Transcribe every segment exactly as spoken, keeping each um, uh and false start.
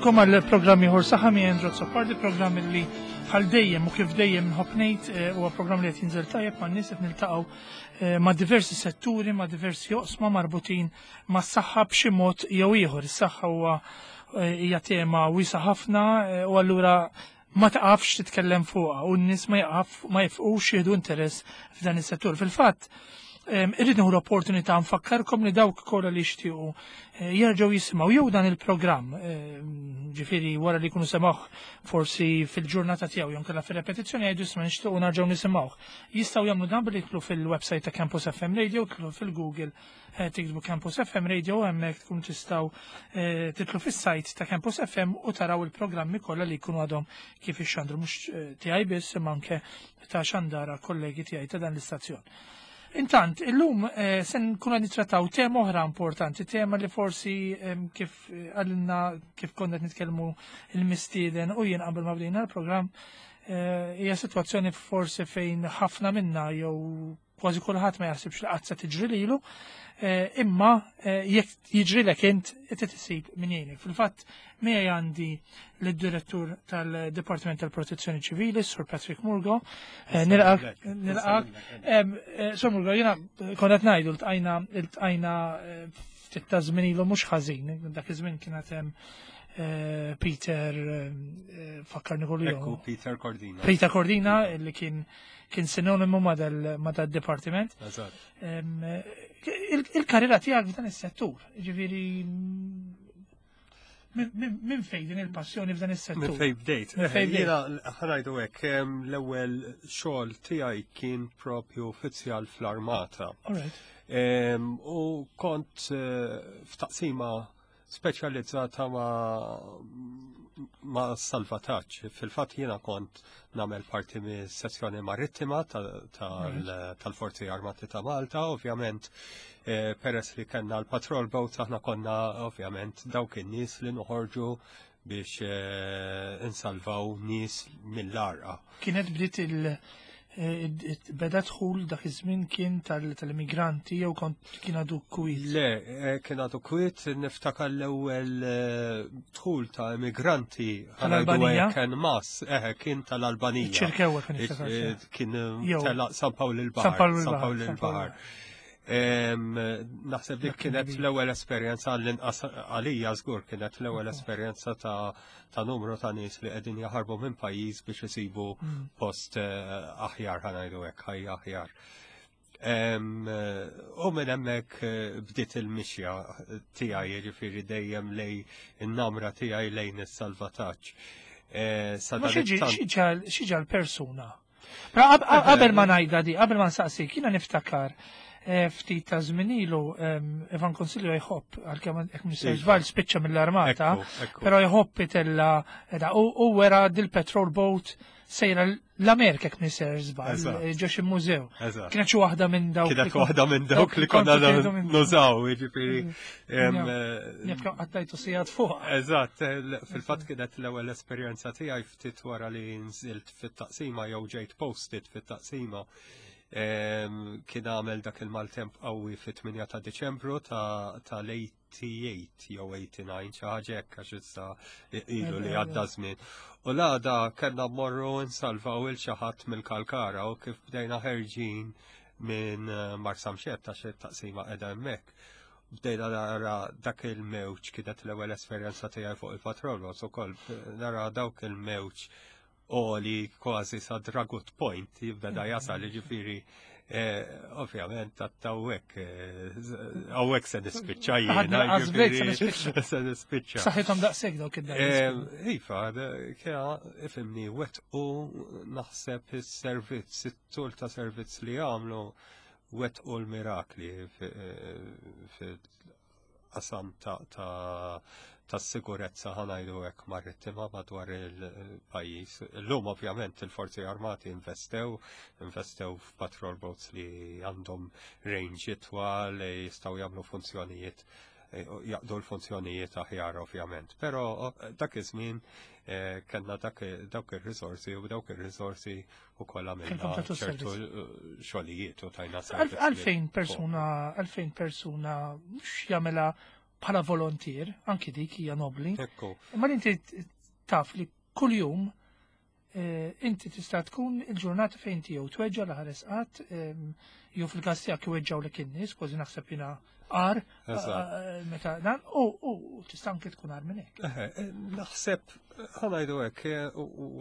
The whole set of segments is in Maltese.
Nilqagħkom għal programm ieħor Saħħa miegħi Andrew Azzopardi, programm li bħal dejjem u kif dejjem nħobb ngħid eh, huwa programm li qed jinżel tajjeb ma' nies qed niltaqgħu eh, ma' diversi setturi, ma' diversi oqsma marbutin mas-saħħa b'xi mod jew ieħor. Is-saħħa huwa eh, hija tema wiesgħa ħafna u allura ma taqafx titkellem fuqha u n-nies ma jaqaf ma jifqux jieħdu interess f'dan is-settur. Fil-fatt, irrid nieħu l-opportunità nfakkarkom li dawk kollha li jixtiequ eh, jerġgħu jisimgħu jew dan il-programm, ġifieri wara li jkunu semgħuh forsi fil-ġurnata tiegħu jew kellha fir-repetizzjoni jgħidu isma' nixtiequ nerġgħu nisimgħuh. Jistgħu jagħmlu dan billi jidħlu fil-website ta' Campus F M Radio, tidħlu fil-Google eh, tiktbu Campus F M Radio, hemmhekk tkun tistgħu eh, tidħlu fis-site ta' Campus F M u taraw il-programmi kollha li jkunu għadhom kif ixxandru, mhux tiegħi biss imma anke ta' xandara kollegi tiegħi ta' dan l-istazzjon. Intant, illum eh, se nkunu nittrattaw tema oħra importanti, tema li forsi kif eh, għalina kif konna nitkellmu il-mistieden u jien qabel ma bdejna l-programm, eh, hija sitwazzjoni forsi fejn ħafna minna jew kważi kulħadd ma jaħsibx li qatt se tiġri lilu, imma jekk jiġrilek int qed isib min jgħinek. Fil-fatt miegħi għandi lid-direttur tal-Dipartiment tal-Protezzjoni Ċivili, Sur Patrick Murgo. Nilqgħek, nilqgħek. Sur Murgo, jiena konna ngħidu ltqajna ltqajna ftit ta' żmien ilu mhux ħażin, dak iż-żmien kienet hemm Peter, fakkarni kollu. Ekku, Peter Cordina. Peter Cordina, li kien kien sinonimu ma dal-departiment. Il-karriera tiegħek f'dan is-settur, ġifieri minn fejn din il-passjoni f'dan is-settur? Minn fejn bdejt. Minn fejn bdejt. Jiena ħa ngħidu hekk, l-ewwel xogħol tiegħi kien propju uffiċjal fl-armata. U kont eh, f'taqsima speċjalizzata ma' ma' salvataġġ. Fil-fatt jiena kont nagħmel parti mis sezzjoni marittima tal-Forzi Armati ta' Malta, ovvjament eh, peress li kellna l-patrol boat aħna konna ovvjament dawk in-nies li noħorġu biex eh, insalvaw nies mill-għarqa. Kienet bdiet il- eh, beda dħul dak iż-żmien kien tal-immigranti jew kont kien għadu kwiet? Le, eh, kien għadu kwiet, niftakar l-ewwel dħul ta' immigranti Tal-Albanija? Kien mas, eh, kien tal-Albanija. Ċirkewa kien niftakar. Kien tela San Pawl il-Baħar. San Pawl il-Baħar. Naħseb dik kienet l-ewwel esperjenza l-inqas għalija żgur kienet l-ewwel esperjenza ta' ta' numru ta' nies li qegħdin jaħarbu minn pajjiż biex isibu mm. post eh, aħjar ħa ngħidu hekk, ħajja aħjar. U minn hemmhekk eh, bdiet il-mixja tiegħi jiġifieri dejjem lejn in-namra tiegħi lejn is-salvataġġ. Eh, xi persuna? Qabel ma ngħidha di, qabel ma nsaqsik, jiena niftakar Eh, ftit ta' żmien ilu Ivan Consiglio jħobb, għalkemm jekk mhux żball spiċċa mill-armata, però jħobb itella u wera dil-patrol boat sejra l-Amerika jekk mhux żball, ġo xi mużew. Kienet xi waħda minn dawk. Kienet waħda minn dawk li konna nużaw, jiġifieri. Jekk qattajtu sigħat fuq. Eżatt, fil-fatt kienet l-ewwel esperjenza tiegħi ftit wara li nżilt fit-taqsima jew ġejt posted fit-taqsima kien għamel dak il-maltemp qawwi fit-tmienja ta' Deċembru ta' tal-tmien u tmenin jew tmien u disgħin xi ħaġa hekk għax issa ilu li għadda żmien. U l-għada kellna mmorru nsalvaw il xi ħadd mill-Kalkara u kif bdejna ħerġin minn eh, Marsamxett għax it-taqsima qiegħda hemmhekk. Bdejna nara dak il-mewġ, kienet l-ewwel esperjenza tiegħi fuq il-patrol ukoll, nara dawk il-mewġ oli kważi sa Dragut Point jibda jasal ġifieri eh, ovvjament għattawek għawek se nispiċċa jiena, ġifieri, se nispiċċa. Saħħithom daqshekk dawk id Eh, Iva, kja, ifhimni, wet u naħseb il-servizz, it-tul ta' servizz li għamlu wet u l-mirakli fil-qasam ta' ta' ta' sigurezza ħa ngħidu hekk marittima madwar il-pajjiż. Illum ovvjament il-Forzi Armati investew, investew f'patrol boats li għandhom range itwal, li jistgħu jagħmlu funzjonijiet eh, jaqdu l-funzjonijiet aħjar ovvjament. Però eh, dak iż-żmien eh, kellna dak dawk ir-risorsi u dawk ir-risorsi ukoll għamilna Kellkom tagħtu ċertu servizz. eh, xogħlijiet u tajna servizz. Għalfejn persuna, għalfejn persuna mhux jagħmilha bħala volontier, anki dik hija nobli. Ekku. Imma li inti taf li kuljum eh, inti tista' tkun il-ġurnata fejn inti jew tweġġa' l-ħares qatt, ehm, jew fil-każ tiegħek iweġġgħu in-nies, kważi naħseb jiena għar, Eżatt. eh, meta dan, u u tista' anke tkun agħar minn hekk. Eħe, eh, naħseb, ħa ngħidu hekk, eh,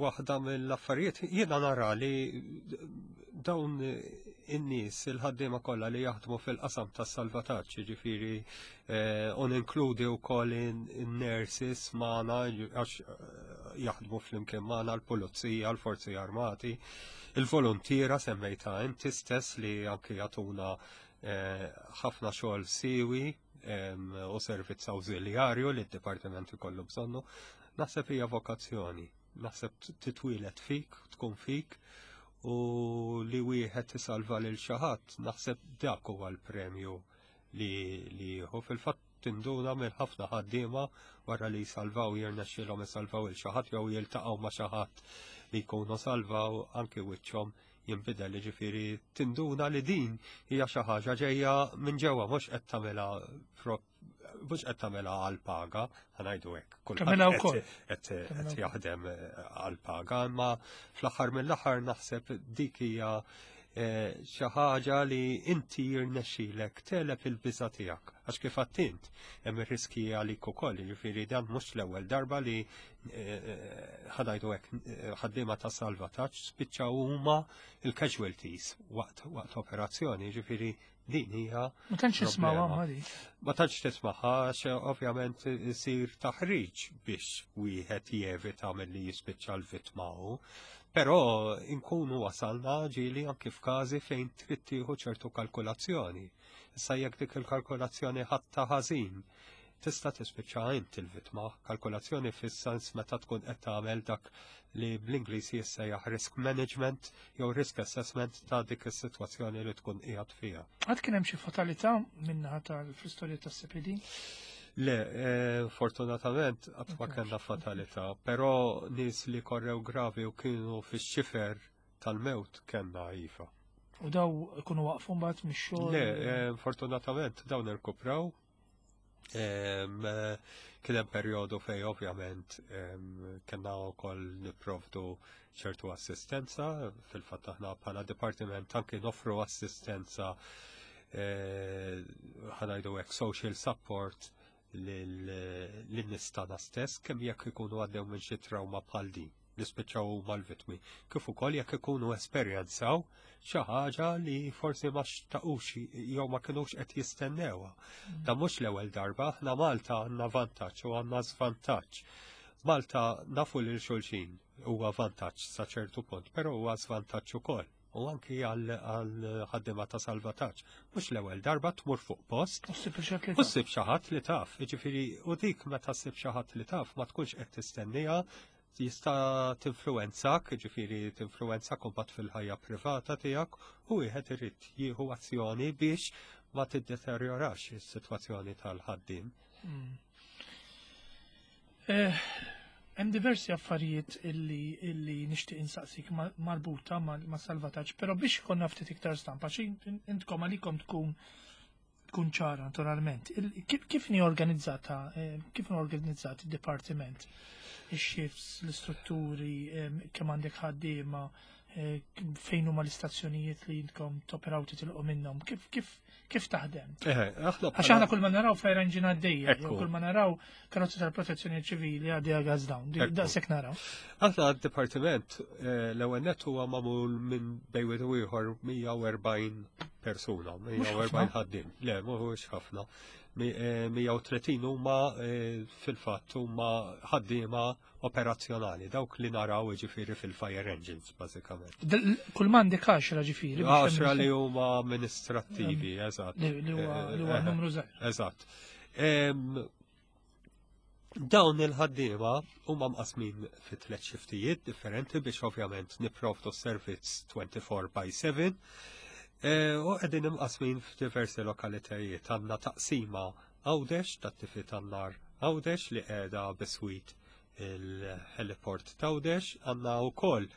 waħda mill-affarijiet, jiena nara li dawn in-nies, il-ħaddiema kollha li jaħdmu fil-qasam tas-salvataġġ, jiġifieri eh, u ninkludi wkoll in-nurses magħna għax eh, jaħdmu flimkien magħna l-pulizija, l-forzi armati, il-volontiera semmejta inti stess li anki jagħtuna eh, ħafna xogħol siwi em, u servizz awżiljarju li d-dipartiment ikollu bżonnu. Naħseb hija vokazzjoni, naħseb titwieled fik, tkun fik u li wieħed isalva lil xi ħadd, naħseb dak huwa l-premju li li jieħu. Fil-fatt tinduna minn ħafna ħaddiema wara li jsalvaw jirnexxielhom isalvaw il xi ħadd jew jiltaqgħu ma' xi ħadd li jkunu salvaw anki wiċċhom jinbidel ġifieri tinduna li din hija xi ħaġa ġejja minn ġewwa mhux qed tagħmilha mhux qed tagħmilha għal paga, ħa ngħidu hekk. Kulħadd Tagħmilha qed- wkoll. qed qed Tagħmilha jaħdem eh, għal paga, imma fl-aħħar mill-aħħar naħseb dik hija eh, xi ħaġa li inti jirnexxilek tegħleb il-biża tiegħek. Għax kif għedt hemm ir-riski għalik ukoll, jiġifieri dan mhux l-ewwel darba li eh, ħa ngħidu hekk eh, ħaddiema ta' salvataġġ spiċċaw huma il-casualties waqt waqt operazzjoni, jiġifieri din hija Ma tantx nismgħu problema. ma dik. Ma tantx tismaħħa għax ovvjament isir taħriġ biex wieħed jevita milli jispiċċa l-vittma hu. Però inkunu wasalna ġieli anki f'każi fejn trid tieħu ċertu kalkulazzjoni. Issa jekk dik il-kalkulazzjoni ħadtha ħażin, tista' tispiċċa int il-vittma. Kalkulazzjoni fis-sens meta tkun qed tagħmel dak li bl-Ingliż jissejjaħ risk management jew risk assessment ta' dik is-sitwazzjoni li tkun qiegħed fiha. Għad kien hemm xi fatalità minnaħa tal-istorja tas-CPD? Le, eh, fortunatament qatt ma kellna fatalità, però nies li korrew gravi u kienu fix-xifer tal-mewt kellna iva. U daw ikunu waqfu mbagħad mix-xogħol. Le, eh, fortunatament dawn irkupraw. Em, eh, Kien hemm perjodu fej ovvjament em, kellna wkoll nipprovdu ċertu assistenza, fil-fatt aħna bħala dipartiment anki noffru assistenza eh, ħa ngħidu hekk social support lin-nies tagħna stess kemm jekk ikunu għaddew minn xi trauma bħal din li spiċċaw huma l-vittmi. Kif ukoll jekk ikunu esperjenzaw xi ħaġa li forsi ma xtaqux jew ma kinux qed jistennewha. Da mhux l-ewwel darba, aħna Malta għandna vantaġġ u għandna żvantaġġ. Malta nafu lil xulxin huwa vantaġġ sa ċertu punt, però huwa żvantaġġ ukoll. U anki għal għal ħaddiema ta' salvataġġ. Mhux l-ewwel darba tmur fuq post U ssib xi U ssib xi ħadd li taf, jiġifieri u dik meta ssib xi ħadd li taf ma tkunx qed tistennija jista' tinfluwenzak, jiġifieri tinfluwenzak imbagħad fil-ħajja privata tiegħek u wieħed irid jieħu azzjoni biex ma tiddeterjorax is-sitwazzjoni tal-ħaddiem. Eh, Hemm diversi affarijiet illi illi nixtieq insaqsik ma- marbuta ma' ma' salvataġġ, però biex ikollna ftit iktar stampa, xi intkom għalikom tkun tkun ċara naturalment. Il- Kif kif ni organizzata, eh, kif ni organizzat id-dipartiment? Ix-shifts, l-istrutturi, eh, kemm għandek ħaddiema, eh, fejn huma l-istazzjonijiet li intkom toperaw titilqu minnhom, kif kif kif taħdem? Eħe, aħna Għax aħna kull ma naraw fire engine għaddejja, jew Ekku. kull ma naraw karozzi tal-protezzjoni ċivili għaddejja gas down, Di- Ekku. daqshekk naraw. Aħna d-dipartiment eh, l-ewwel nett huwa magħmul minn bejn wieħed u ieħor mija u erbgħin persuna, mija u erbgħin ħaddiem. Le, mhuwiex ħafna. Mi- eh, mija u tletin huma eh, fil-fatt huma ħaddiema operazzjonali, dawk li naraw jiġifieri fil-fire engines bażikament. Dal- Kull ma għandek għaxra ġifieri. biex Għaxra hemm- li huma amministrattivi, eżatt. li li huwa li huwa Eh, numru żgħir. Eżatt. Em, Dawn il-ħaddiema huma mqasmin fi tliet xiftijiet differenti biex ovvjament nipprovdu servizz twenty-four by seven. Eh, U qegħdin imqasmin f'diversi lokalitajiet. Għandna taqsima Għawdex tat-tifi tan-nar Għawdex li qiegħda biswit il-heliport t'Għawdex, għandna wkoll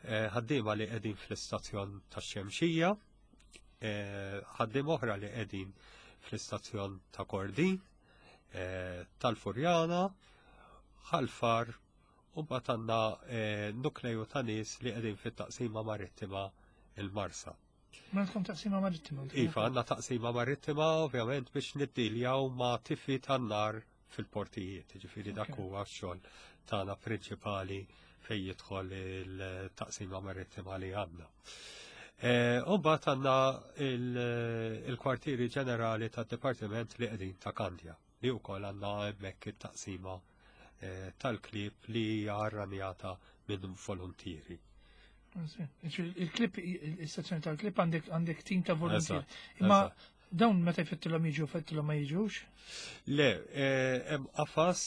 eh, ħaddiema li qegħdin fl-istazzjon tax-Xemxija, eh, ħaddiem oħra li qegħdin fl-istazzjon ta' Kordin, eh, tal-Furjana, Ħal Far, u mbagħad għandna eh, nukleju ta' nies li qegħdin fit-taqsima marittima il-Marsa. Ma għandkom taqsima marittima? Iva, għandna taqsima marittima ovvjament biex niddiljaw ma' tifi tan-nar fil-portijiet, ġifieri dak huwa x-xogħol tagħna prinċipali fejn jidħol il-taqsima marittima li għandna. Eh, u mbagħad għandna il-kwartieri ġenerali tad-dipartiment li qegħdin ta' Kandja, li wkoll għandna hemmhekk it-taqsima eh, tal-klieb li hija arranjata minn volontieri. Il-klieb, il-sezzjoni tal-klieb għandek għandek tim ta' volontieri. Imma dawn meta jfettilhom jiġu, jfettilhom ma jiġux? Le, eh, hemm qafas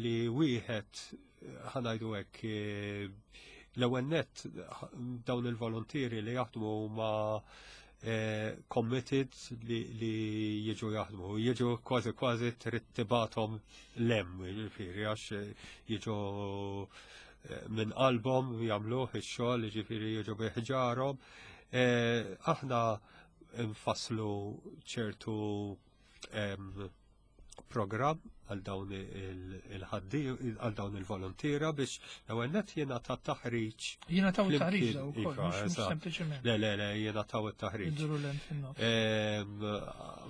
li wieħed, ħa ngħidu hekk, l-ewwel nett dawn il-volontieri li jaħdmu ma eh, committed li, li jiġu jaħdmu, jiġu kważi kważi trid tibgħathom 'l hemm, jiġifieri għax jiġu eh, minn qalbhom jagħmluh ix-xogħol, jiġifieri jiġu bi ħġarhom. Eh, aħna nfasslu ċertu program għal dawn il-ħaddi għal dawn il-volontiera biex l-ewwel nett jingħata taħriġ. Jingħataw taħriġ ukoll, sempliċement. Le, le, le, jingħataw it-taħriġ.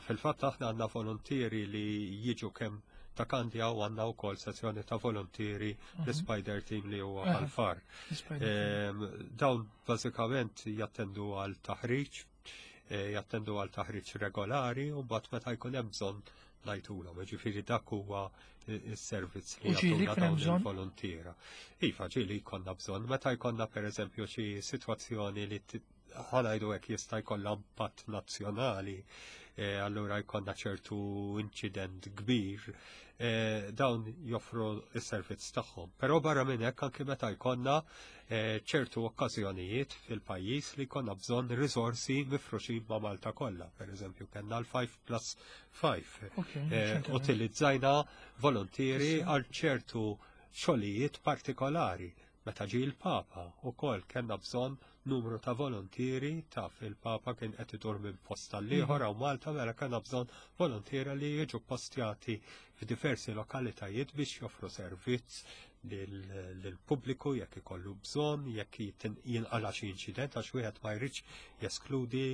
Fil-fatt aħna għandna volontieri li jiġu kemm ta' Kandja u għandna wkoll sezzjoni ta' volontieri mhm. l-Spider Team li huwa Ħal Far. Dawn bażikament jattendu għal taħriġ, eh, jattendu għal taħriġ regolari u mbagħad meta jkun hemm bżonn ngħidulhom, ġifieri dak huwa is-servizz li jagħtuna dawn il-volontiera. Iva, ġieli jkollna bżonn, meta jkollna pereżempju xi sitwazzjoni li, ħa ngħidu hekk, jista' jkollha impatt nazzjonali, eh, allura jkollna ċertu inċident kbir, eh, dawn joffru s-servizz tagħhom. Però barra minn hekk anke meta jkollna eh, ċertu okkażjonijiet fil-pajjiż li jkollna bżonn risorsi mifruxin ma' Malta kollha. Per eżempju, kellna l-five plus five. Utilizzajna volontieri għal ċertu xogħlijiet partikolari. Meta ġie l-Papa ukoll kellna bżonn numru ta' volontieri, taf il-Papa kien qed idur minn post għal ieħor hawn Malta, mela kellna bżonn volontieri li jiġu postjati f'diversi lokalitajiet biex joffru servizz lill-pubbliku jekk ikollu bżonn, jekk jinqala xi inċident, għax wieħed ma jridx jeskludi,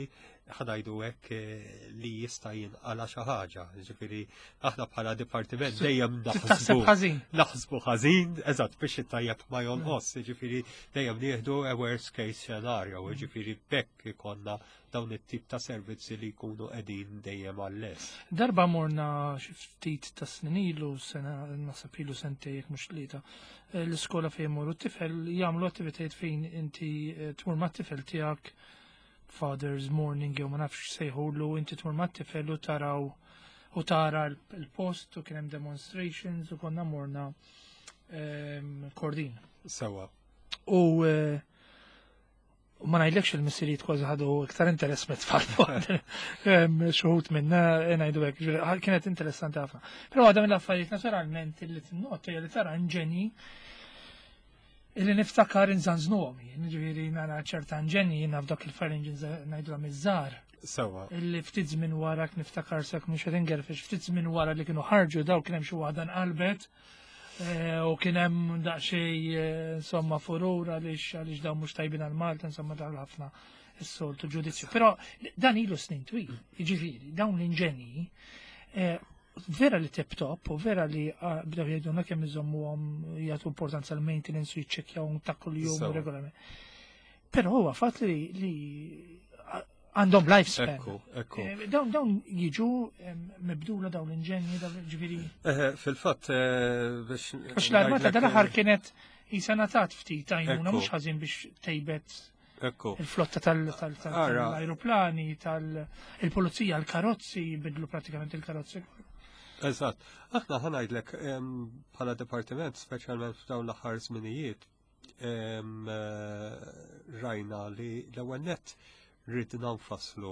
ħa ngħidu hekk, eh, li jista' jinqala xi ħaġa. Ġifieri aħna bħala dipartiment dejjem naħsbu naħsbu ħażin, eżatt, biex it-tajjeb ma jonqos, ġifieri dejjem nieħdu a worst case scenario, ġifieri bekk ikollna dawn it-tip ta' servizzi li jkunu qegħdin dejjem għall-lest. Darba morna xi ftit ta' snin ilu, sena naħseb ilu sentejn jekk mhux tlieta, eh, l-iskola fejn imorru t-tifel jagħmlu attivitajiet fejn inti eh, tmur mat-tifel tiegħek, Father's Morning jew ma nafx sejħulu, inti tmur mat-tifel u taraw u tara l-post u kien hemm demonstrations u konna morna ehm, Kordin. Sewa. U eh, u ma ngħidlekx il-missirijiet kważi ħadu iktar interess mit-tfal. Xi wħud minna ngħidu hekk, ġifieri, kienet interessanti ħafna. Però għadha mill-affarijiet naturalment li tinnota hija li tara inġenji illi niftakar inżanżnuhom jien, ġifieri nara ċerta inġenji jiena f'dak il-fire engines ngħidulhom iż-żgħar. Sewa. Illi ftit żmien wara niftakar sekk mhux qed ingerfex, ftit żmien wara li kienu ħarġu daw kien hemm xi waħda nqalbet eh, u kien hemm daqsxejn eh, insomma furur għaliex għaliex dawn mhux tajbin għal Malta, insomma dawn ħafna is-soltu ġudizzju. Però dan ilu snin twil, jiġifieri dawn l-inġenji eh, vera li tip top u vera li ah, bdew jgħidulna kemm iżommuhom, jagħtu importanza l-maintenance u jiċċekkjaw ta' kuljum Sewa. regolarment. Però huwa fatt li li għandhom lifespan. Ekku, ekku. Eh, Dawn dawn jiġu em, mibdula dawn l-inġenji, dawn ġifieri. Eh, Fil-fatt, eh, biex. Għax l-armata ngħidlek, dal-aħħar kienet jisa natat ftit għajnuna Ekku. mhux ħażin biex tejbet Ekku. il-flotta tal- tal- tal- Ara. tal-aeroplani, tal-pulizija, l-karozzi, bidlu pratikament il-karozzi. Eżatt. Aħna ħa ngħidlek em, bħala dipartiment, speċjalment f'dawn l-aħħar żminijiet, em, eh, rajna li l-ewwel nett ridna nfasslu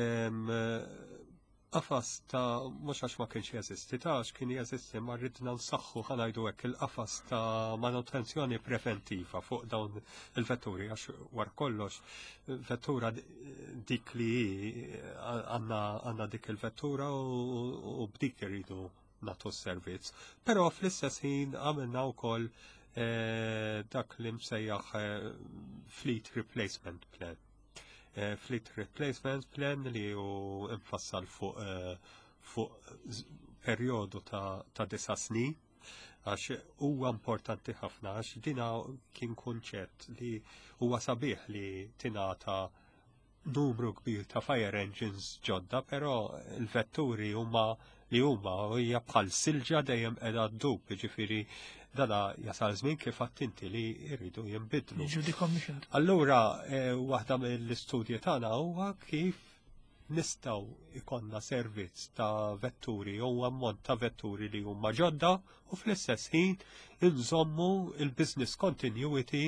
em, eh, Qafas ta' mhux għax ma kienx jeżisti, ta' għax kien jeżisti ma ridna nsaħħu, ħa ngħidu hekk, il-qafas ta' manutenzjoni preventiva fuq dawn il-vetturi, għax war kollox vettura dik li għandna għandna dik il-vettura u, u b'dik irridu nagħtu s-servizz. Però fl-istess ħin għamilna wkoll eh, dak li msejjaħ eh, Fleet Replacement Plan. Eh, Fleet Replacement Plan li hu infassal fuq eh, fuq perjodu ta', ta disa snin, għax huwa importanti ħafna, għax dina kien kunċett li huwa sabiħ li tingħata numru kbir ta' fire engines ġodda, però il-vetturi huma li huma u hija bħal silġa, dejjem qiegħda ddub, jiġifieri dana jasal żmien, kif inti, li jridu jinbidlu. Jiġu decommissioned. Allura, eh, waħda mill-istudji tagħna huwa kif nistgħu ikollna servizz ta' vetturi jew ammont ta' vetturi li huma ġodda u fl-istess ħin inżommu il-business continuity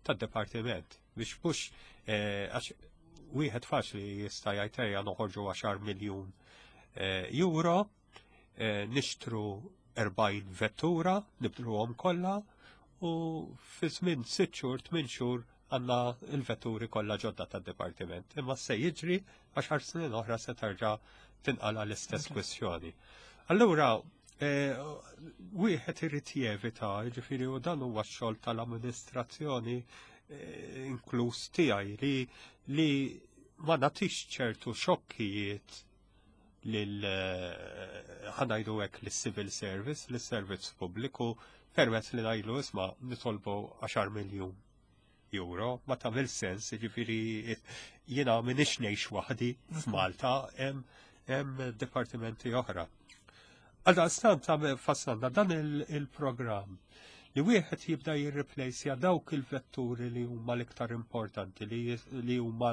tad-dipartiment biex mhux eh, għax wieħed faċli jista' jgħid, "Ejja noħorġu għaxar miljun eh, euro, eh, nixtru erbgħin vettura, nibdluhom kollha u fi żmien sitt xhur, tmien xhur għandna il-vetturi kollha ġodda tad-dipartiment." Imma se jiġri għaxar snin oħra se terġa' tinqala l-istess kwestjoni. Allura, eh, wieħed irid jevita, jiġifieri u dan huwa x-xogħol tal-amministrazzjoni eh, inkluż tiegħi, li li ma nagħtix ċertu xokkijiet lil eh, ħa ngħidu hekk lis-civil service, lis-servizz pubbliku, permezz li ngħidlu, "Isma', nitolbu għaxar miljun euro," ma tagħmel sens, jiġifieri jiena m'iniex ngħix waħdi f'Malta, hemm hemm dipartimenti oħra. Għaldaqstant fassalna dan il-programm li wieħed jibda jirreplacja dawk il-vetturi li huma l-iktar importanti, li, li huma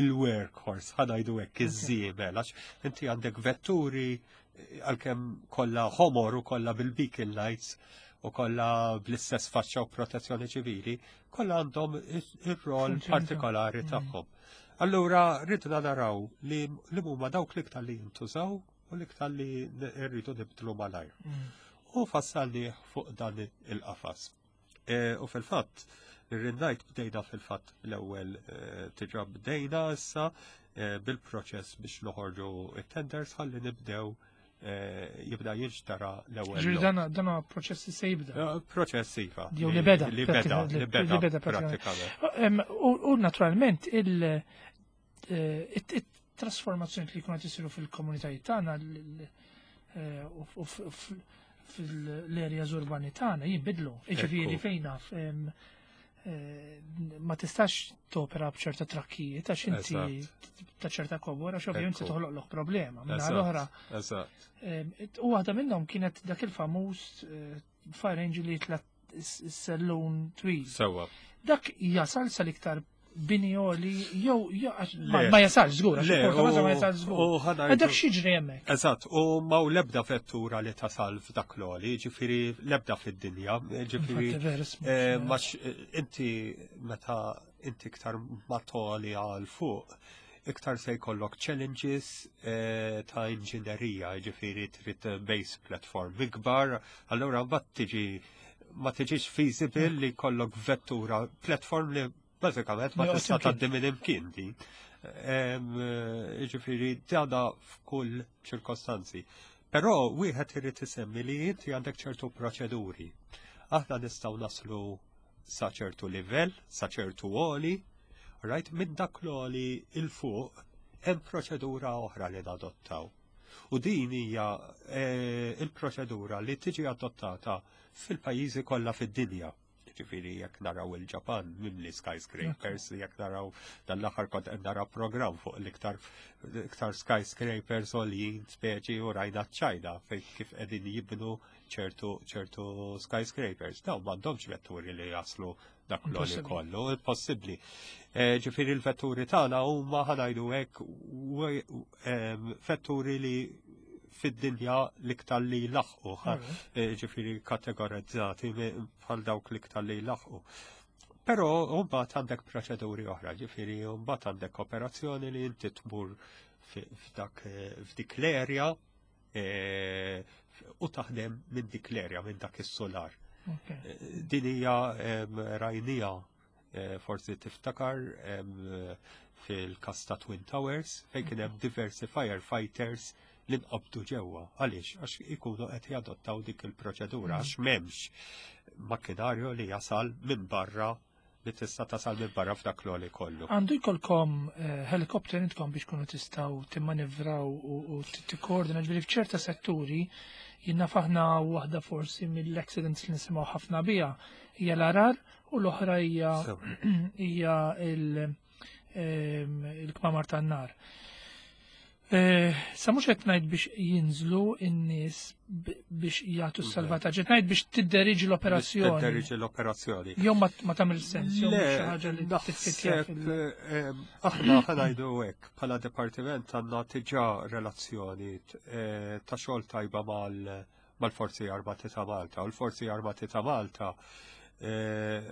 il-workhorse, ħa ngħidu hekk, iż-żiemel, għax inti għandek vetturi eh, għalkemm kollha ħomor u kollha bil-beacon lights u kollha bl-istess faċċa u protezzjoni ċivili, kollha għandhom ir-rol partikolari mm. tagħhom. Allura ridna naraw li li huma dawk l-iktar li jintużaw u l-iktar li rridu nibdlu malajr. Mm. U fassalni fuq dan il-qafas. E, u fil-fatt, irrid ngħid bdejna fil-fatt l-ewwel e, diġà bdejna issa e, bil-proċess biex noħorġu it-tenders ħalli nibdew jibda jinxtara l-ewwel. Ġifieri dan dan proċess se jibda. Proċess iva. Jew li beda. Li beda, li beda pratikament. U naturalment il-trasformazzjoni li jkunu isiru fil-komunitajiet tagħna u fil-areas urbani tagħna jinbidlu. Jiġifieri fejna ma tistax topera b'ċerta trakkijiet għax inti ta' ċerta kobor, għax ovvjament se toħloqlok problema. Minna l-oħra. U waħda minnhom kienet dak il-famuż fire engine li jitla s-sellum twil. Sewa. Dak jasal sal-iktar bini li jew ma jasalx żgur, għax ma jasalx żgur. Dak x'jiġri hemmhekk? Eżatt, u ma u lebda vettura li tasal f'dak l-għoli, ġifieri lebda fid-dinja, ġifieri inti meta inti iktar ma togħli għal fuq, iktar se jkollok challenges eh, ta' inġinerija, ġifieri trid base platform ikbar, allura mbagħad tiġi ma tiġix feasible li jkollok vettura platform li bażikament ma tista' tgħaddi minn imkien din. Ġifieri dana f'kull ċirkostanzi. Però wieħed irid isemmi li inti għandek ċertu proċeduri. Aħna nistgħu naslu sa ċertu livell, sa ċertu għoli, right, minn dak l-għoli 'il fuq hemm proċedura oħra li nadottaw. U din hija eh, il-proċedura li tiġi adottata fil-pajjiżi kollha fid-dinja. Ġifieri jekk naraw il-Ġapan mimli skyscrapers, jekk naraw dan l-aħħar kont qed nara program fuq l-iktar iktar skyscrapers għoljin speċi u rajna ċ-Ċina fejn kif qegħdin jibnu ċertu ċertu skyscrapers. Dawn m'għandhomx vetturi li jaslu dak l kollu, impossibbli. Eh, ġifieri l-vetturi tagħna huma, ħa ngħidu hekk, vetturi li fid-dinja l-iktar li laħqu, eh, ġifieri kategorizzati bħal dawk l-iktar li laħqu. Però mbagħad għandek proċeduri oħra, ġifieri mbagħad għandek operazzjoni li inti tmur f'dak f'dik l-area eh, u taħdem minn dik l-area, minn dak is-solar. Din hija rajnija, eh, forsi tiftakar fil-kas ta' Twin Towers, fejn kien hemm diversi firefighters li nqabdu ġewwa. Għaliex? Għax ikunu qed jadottaw dik il-proċedura, għax m'hemmx makkinarju li jasal minn barra, li tista' tasal minn barra f'dak l kollu. Għandu jkollkom eh, helikopter intkom biex kunu tistgħu timmanivraw u tikkoordina, ġifieri f'ċerta setturi jiena aħna waħda forsi mill-accidents li nisimgħu ħafna biha hija l-għargħar u l-oħra hija hija il-kmamar tan-nar. Eh, sa mhux qed ngħid biex jinżlu n-nies biex jagħtu s-salvataġġ, qed ngħid biex tidderiġi l-operazzjoni. Tidderiġi l-operazzjoni. Jew ma tagħmel sens, jew xi ħaġa li tiffittja. Aħna ħa ngħidu hekk, bħala dipartiment għandna diġà relazzjoni eh, ta' xogħol tajba mal-Forzi Armati ta' Malta. U l-Forzi Armati ta' Malta eh,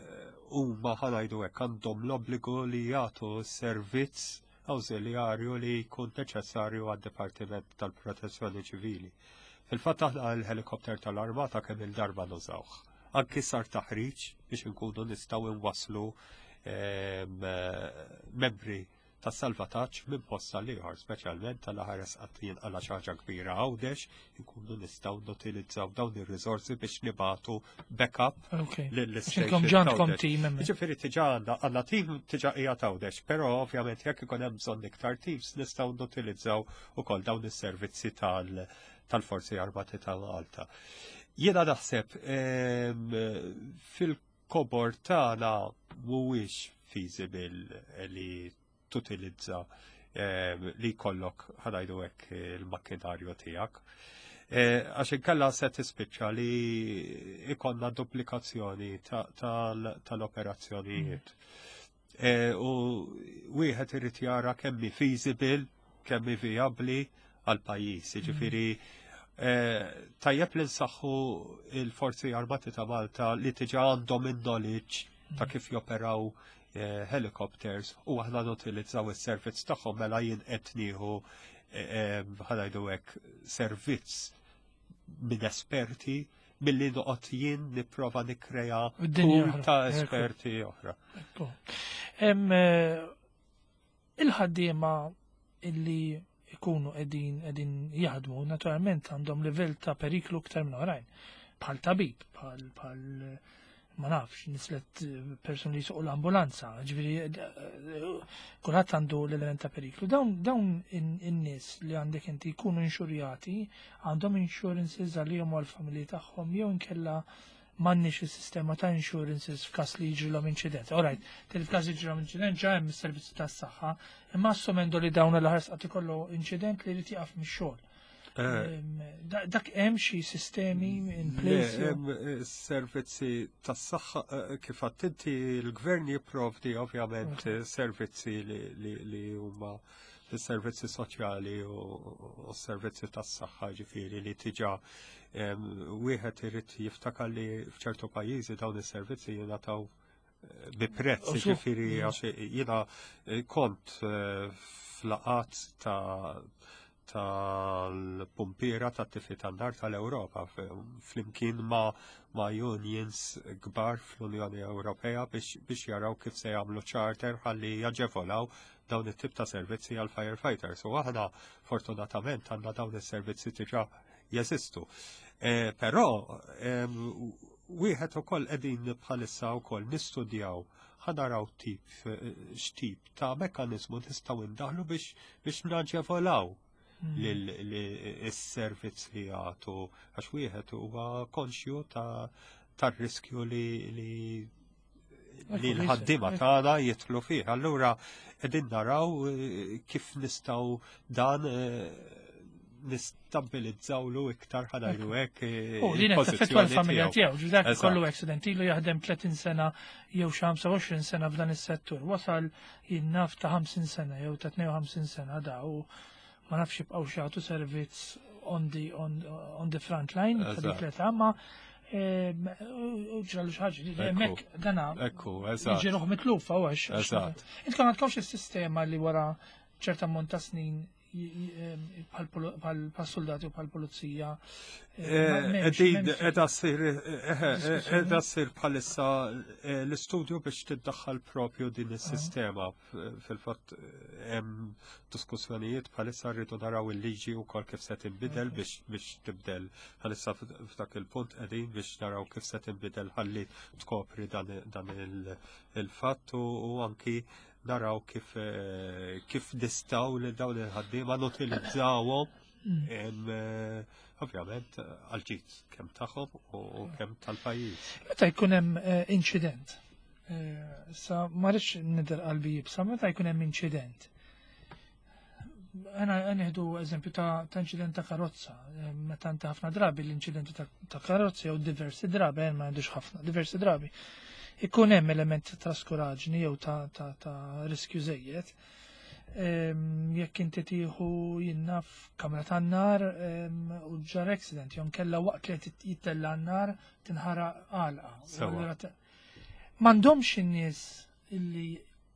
huma, ħa ngħidu hekk, għandhom l-obbligu li jagħtu servizz awżiljarju li jkun neċessarju għad-Dipartiment tal-Protezzjoni Ċivili. Fil-fatt aħna l-helikopter tal-Armata kemm il-darba nużawh. Anki sar taħriġ biex inkunu nistgħu nwasslu ehm, membri ta' salvataġġ minn post għal ieħor, speċjalment tal-aħares qatt jinqala xi ħaġa kbira Għawdex, inkunu nistgħu nutilizzaw dawn ir-riżorsi biex nibatu backup lill-station. Għandkom team. Ġifieri diġà għandna għandna team diġà qiegħed Għawdex, però ovvjament jekk ikun hemm bżonn iktar teams nistgħu nutilizzaw ukoll dawn is-servizzi tal- tal-Forzi Armati ta' Malta. Jiena naħseb fil-kobor tagħna mhuwiex feasible li tutilizza li jkollok, ħa ngħidu hekk, il-makkinarju tiegħek. Eh, għax inkella se tispiċċa li ikollna duplikazzjoni tal-operazzjonijiet. Eh, u wieħed irid jara kemm feasible, kemm viabli għal pajjiż. Ġifieri eh, tajjeb li nsaħħu il-Forzi Armati ta' Malta li diġà għandhom il-knowledge ta' kif joperaw Eh, helicopters u aħna nutilizzaw is-servizz tagħhom, mela jien qed nieħu, eh, ħa ngħidu hekk, servizz minn esperti milli noqgħod jien nipprova nikkrea pool ta' esperti oħra. Eh, il-ħaddiema illi ikunu qegħdin qegħdin jaħdmu naturalment għandhom livell ta' periklu iktar minn oħrajn. Bħal tabib, bħal bħal ma nafx, nislet eh, person li jsuq l-ambulanza, ġifieri, eh, kulħadd għandu l-element ta' periklu. Dawn dawn in-nies li għandek inti jkunu inxurjati, għandhom insurances għalihom u għal-familji tagħhom, jew inkella m'għandniex is-sistema ta' insurances f'każ li jiġrilhom inċident? Alright, til f'każ jiġrilhom inċident ġa hemm is-servizzi tas-saħħa, imma assumendo li dawn l-ħars qatt ikollu inċident li jrid jieqaf mix-xogħol. Eh. Dak hemm xi sistemi in place? Hemm eh, servizzi tas-saħħa, eh, kif inti l-gvern jipprovdi ovvjament servizzi li huma servizzi soċjali u servizzi tas-saħħa, ġifieri li diġà wieħed irid jiftakar li f'ċertu pajjiżi dawn is-servizzi jingħataw bi prezz, ġifieri għax jiena kont f'laqgħat ta' tal-pumpiera tat-tifi tan-nar tal-Ewropa flimkien ma' ma' unions kbar fl-Unjoni Ewropea biex, biex jaraw kif se jagħmlu charter ħalli jaġevolaw dawn it-tip ta' servizzi għal firefighters. U aħna fortunatament għandna dawn is-servizzi diġà jeżistu. E, però wieħed ukoll qegħdin bħalissa wkoll nistudjaw ħa naraw tip x'tip ta' mekkaniżmu nistgħu ndaħlu biex biex naġevolaw l-servizz li jagħtu, għax wieħed huwa konxju ta' tar-riskju li li li l-ħaddiema tagħna jidħlu fih. Allura qegħdin naraw eh, kif nistgħu dan eh, nistabbilizzawlu iktar, ħa ngħidu hekk. U li taffettwa l-familja tiegħu, dak kollu accident ilu jaħdem tletin sena jew xi ħamsa u għoxrin sena f'dan is-settur. Wasal jinnaf ta' ħamsin sena jew ta' tnejn u ħamsin sena da u ma nafx jibqgħu jagħtu servizz on the, on, on the front line ta' dik l-età, ma u ġralu xi ħaġa. Hemmhekk dana Ekku, eżatt. jiġi ruħ mitlufa u għax. Eżatt. Intkom għandkomx is-sistema li wara ċerta ammont ta' snin bħal soldati u bħal pulizija. Edha ssir bħalissa l-istudju biex tiddaħħal propju din is-sistema. Fil-fatt hemm diskussjonijiet bħalissa, rridu naraw il-liġi wkoll kif se tinbidel biex tibdel. Bħalissa f'dak il-punt qegħdin biex naraw kif se tinbidel ħalli tkopri dan il-fatt u anki naraw kif kif nistgħu li dawn il-ħaddiema nutilizzawhom, ovvjament għal-ġid kemm tagħhom u kemm tal-pajjiż. Meta jkun hemm inċident, sa ma rridx nidher qalbi iebsa, meta jkun hemm inċident. Għana nieħdu eżempju ta' inċident ta' karozza, meta inti ħafna drabi l-inċidenti ta' karozza jew diversi drabi, ma għandux ħafna, diversi drabi. Ikun hemm element ta' traskuraġni jew ta' riskju żejjed. Jekk inti tieħu jinnaf kamra tan-nar u ġar accident, jew kella waqt li qed jittella n-nar tinħaraq għalqa. M'għandhomx in-nies illi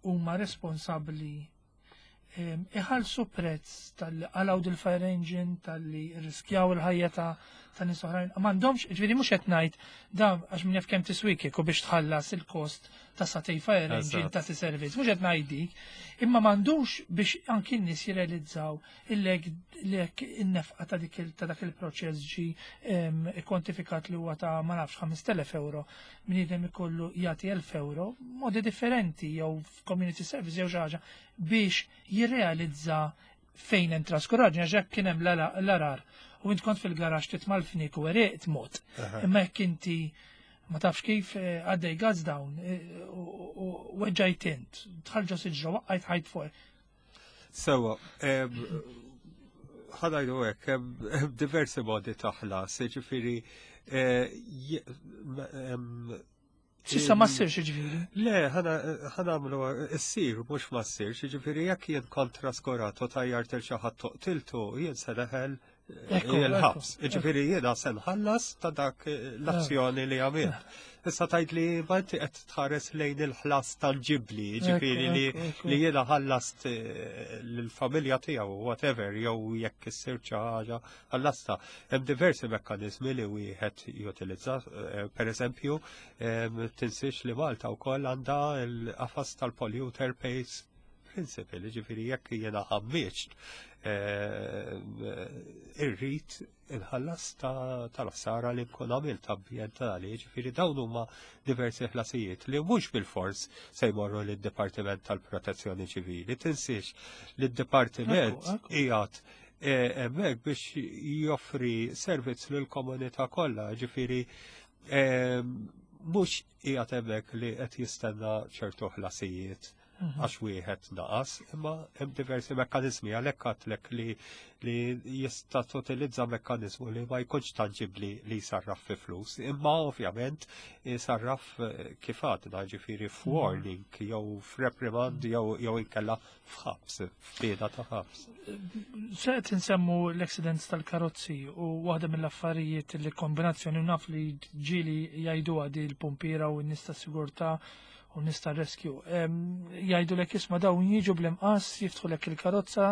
huma responsabbli iħallsu prezz tal-li qalgħu dil-fire engine, tal-li riskjaw il-ħajja ta' ta' nies oħrajn? M'għandhomx, ġifieri mhux qed ngħid da għax min jaf kemm tiswik u biex tħallas il-kost ta' sagħtejn fire engine ta' servizz, mhux qed ngħid dik, imma m'għandux biex anki n-nies jirrealizzaw illek lek in-nefqa ta' dik ta' dak il-proċess ġi kwantifikat li huwa ta' ma nafx ħamest elef euro, bniedem ikollu jagħti elf euro, modi differenti jew f'community service jew xi ħaġa biex jirrealizza fejn hemm traskuraġni, għax hekk kien hemm l-għargħar u int kont fil-garax titma' l-fniek u għeriqt mod. Imma jekk inti ma tafx kif għaddej gas down u weġġajt int, dħalt ġo siġra, waqqajt ħajt fuq. Sewa, ħa ngħidu hekk, hemm diversi modi ta' ħlas, ġifieri S'issa ma ssirx, ġifieri. Le, ħa nagħmlu issir, mhux ma ssirx, ġifieri jekk jien kont traskurat u tajjart lil xi ħadd u qtiltu, jien se neħel il-ħabs. Ġifieri jiena se nħallas ta' dak l-azzjoni li għamilt. Issa tajt li ma inti qed tħares lejn il-ħlas tanġibli, ġifieri li li jiena ħallast lill-familja tiegħu, whatever, jew jekk issir xi ħaġa ħallasta. Hemm diversi mekkaniżmi li wieħed jutilizza, per eżempju, tinsiex li Malta wkoll għandha l-qafas tal-polluter pays principle, ġifieri jekk jiena ħammiġt, irrid inħallas tal-ħsara li nkun għamilt ambjentali, ġifieri dawn huma diversi ħlasijiet li mhux bil-fors se jmorru lid-Dipartiment tal-Protezzjoni Ċivili. Tinsiex li d-Dipartiment qiegħed hemmhekk biex joffri servizz lill-komunità kollha, ġifieri mhux qiegħed hemmhekk li qed jistenna ċertu ħlasijiet għax wieħed naqas, imma hemm diversi mekkaniżmi. Għalhekk għedtlek li li jista' tutilizza mekkaniżmu li ma jkunx tanġibli li jsarraf fi flus, imma ovvjament jsarraf kif għadna, ġifieri f'warning jew f'reprimand jew jew inkella f'ħabs, f'piena ta' ħabs. Se qed insemmu l-accidents tal-karozzi u waħda mill-affarijiet li kombinazzjoni naf li ġieli jgħidu għadi l-pumpiera u n-nies ta' sigurtà u nies ta' rescue. Jgħidu lek, isma', dawn jiġu bl-imqas, jiftħu lek il-karozza,